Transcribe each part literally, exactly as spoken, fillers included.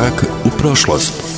Korak u prošlost.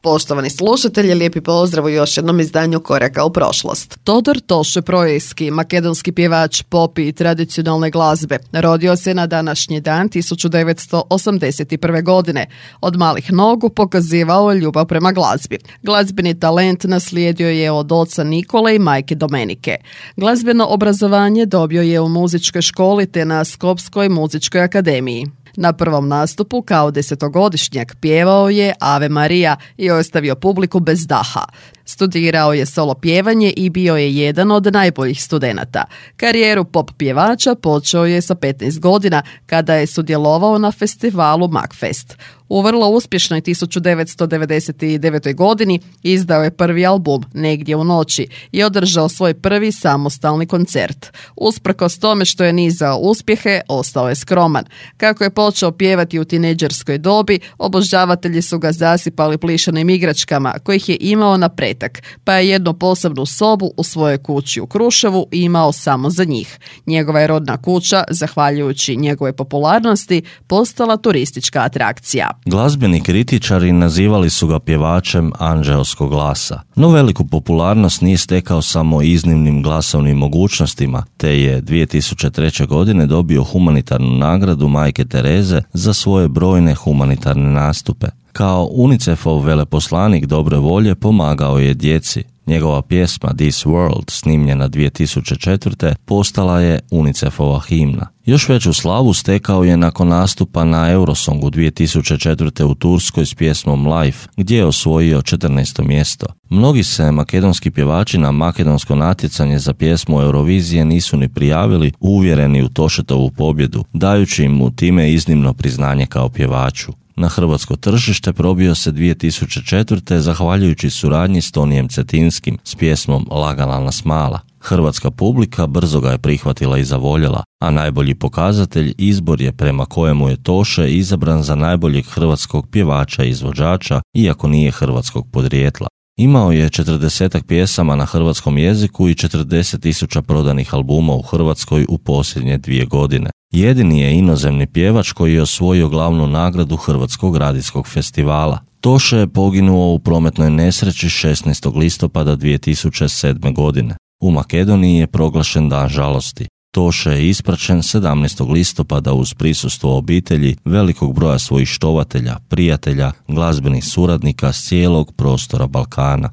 Poštovani slušatelji, lijepi pozdrav u još jednom izdanju Koraka u prošlost. Todor Toše Projejski, makedonski pjevač pop i tradicionalne glazbe, rodio se na današnji dan tisuću devetsto osamdeset prve. godine. Od malih nogu pokazivao je ljubav prema glazbi. Glazbeni talent naslijedio je od oca Nikole i majke Domenike. Glazbeno obrazovanje dobio je u muzičkoj školi te na Skopskoj muzičkoj akademiji. Na prvom nastupu kao desetogodišnjak pjevao je Ave Marija i ostavio publiku bez daha. Studirao je solo pjevanje i bio je jedan od najboljih studenata. Karijeru pop pjevača počeo je sa petnaest godina kada je sudjelovao na festivalu Magfest. U vrlo uspješnoj tisuću devetsto devedeset devete. godini izdao je prvi album Negdje u noći i održao svoj prvi samostalni koncert. Usprkos tome što je nizao uspjehe, ostao je skroman. Kako je počeo pjevati u tinejdžerskoj dobi, obožavatelji su ga zasipali plišanim igračkama kojih je imao na pretak, pa je jednu posebnu sobu u svojoj kući u Kruševu imao samo za njih. Njegova je rodna kuća, zahvaljujući njegove popularnosti, postala turistička atrakcija. Glazbeni kritičari nazivali su ga pjevačem anđeoskog glasa, no veliku popularnost nije stekao samo iznimnim glasovnim mogućnostima, te je dvije tisuće treće. godine dobio humanitarnu nagradu Majke Tereze za svoje brojne humanitarne nastupe. Kao UNICEF-ov veleposlanik dobre volje pomagao je djeci. Njegova pjesma This World, snimljena dvije tisuće četvrte. postala je UNICEF-ova himna. Još veću slavu stekao je nakon nastupa na Eurosongu dvije tisuće četvrte. u Turskoj s pjesmom Life, gdje je osvojio četrnaesto mjesto. Mnogi se makedonski pjevači na makedonsko natjecanje za pjesmu Eurovizije nisu ni prijavili, uvjereni u Tošetovu pobjedu, dajući mu time iznimno priznanje kao pjevaču. Na hrvatsko tržište probio se dvije tisuće četvrte. zahvaljujući suradnji s Tonijem Cetinskim s pjesmom Lagala nas mala. Hrvatska publika brzo ga je prihvatila i zavoljela, a najbolji pokazatelj izbor je prema kojemu je Toše izabran za najboljeg hrvatskog pjevača i izvođača, iako nije hrvatskog podrijetla. Imao je četrdesetak pjesama na hrvatskom jeziku i četrdeset tisuća prodanih albuma u Hrvatskoj u posljednje dvije godine. Jedini je inozemni pjevač koji je osvojio glavnu nagradu Hrvatskog radijskog festivala. Toše je poginuo u prometnoj nesreći šesnaestog listopada dvije tisuće sedme. godine. U Makedoniji je proglašen dan žalosti. Toše je ispraćen sedamnaestog listopada uz prisustvo obitelji, velikog broja svojih štovatelja, prijatelja, glazbenih suradnika s cijelog prostora Balkana.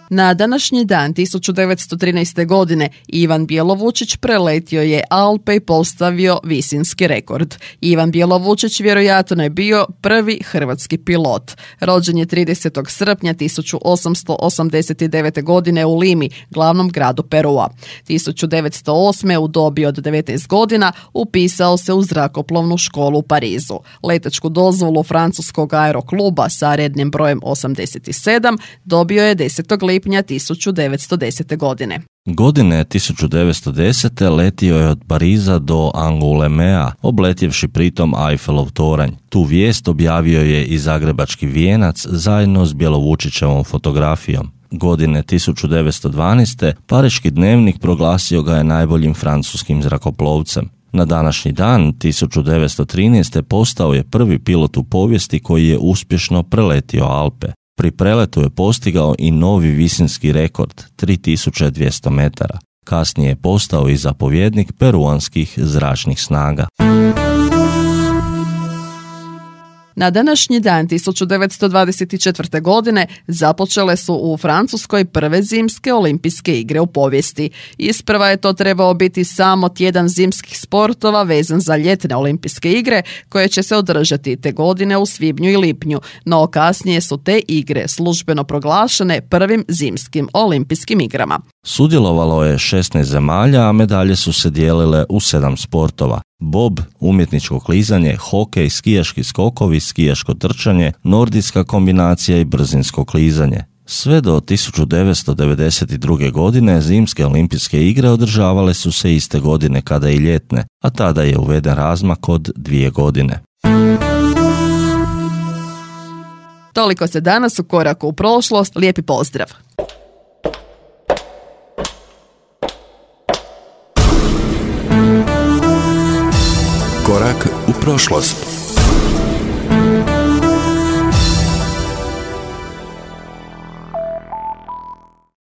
Na današnji dan tisuću devetsto trinaeste. godine Ivan Bjelovučić preletio je Alpe i postavio visinski rekord. Ivan Bjelovučić vjerojatno je bio prvi hrvatski pilot. Rođen je tridesetog srpnja tisuću osamsto osamdeset devete. godine u Limi, glavnom gradu Perua. tisuću devetsto osme. u dobi od devetnaest godina upisao se u zrakoplovnu školu u Parizu. Letačku dozvolu francuskog aerokluba sa rednim brojem osamdeset sedam dobio je desetog lipnja tisuću devetsto desete. godine. Godine tisuću devetsto desete. letio je od Pariza do Angoulêmea, obletjevši pritom Eiffelov toranj. Tu vijest objavio je i zagrebački Vijenac zajedno s Bjelovučićevom fotografijom. Godine tisuću devetsto dvanaeste. Pariški dnevnik proglasio ga je najboljim francuskim zrakoplovcem. Na današnji dan tisuću devetsto trinaeste. postao je prvi pilot u povijesti koji je uspješno preletio Alpe. Pri preletu je postigao i novi visinski rekord, tri tisuće dvjesto metara. Kasnije je postao i zapovjednik peruanskih zračnih snaga. Na današnji dan tisuću devetsto dvadeset četvrte. godine započele su u Francuskoj prve zimske olimpijske igre u povijesti. Isprva je to trebao biti samo tjedan zimskih sportova vezan za ljetne olimpijske igre koje će se održati te godine u svibnju i lipnju, no kasnije su te igre službeno proglašene prvim zimskim olimpijskim igrama. Sudjelovalo je šesnaest zemalja, a medalje su se dijelile u sedam sportova. Bob, umjetničko klizanje, hokej, skijaški skokovi, skijaško trčanje, nordijska kombinacija i brzinsko klizanje. Sve do tisuću devetsto devedeset druge. godine zimske olimpijske igre održavale su se iste godine kada i ljetne, a tada je uveden razmak od dvije godine. Toliko se danas u Koraku u prošlost. Lijepi pozdrav! Korak u prošlost.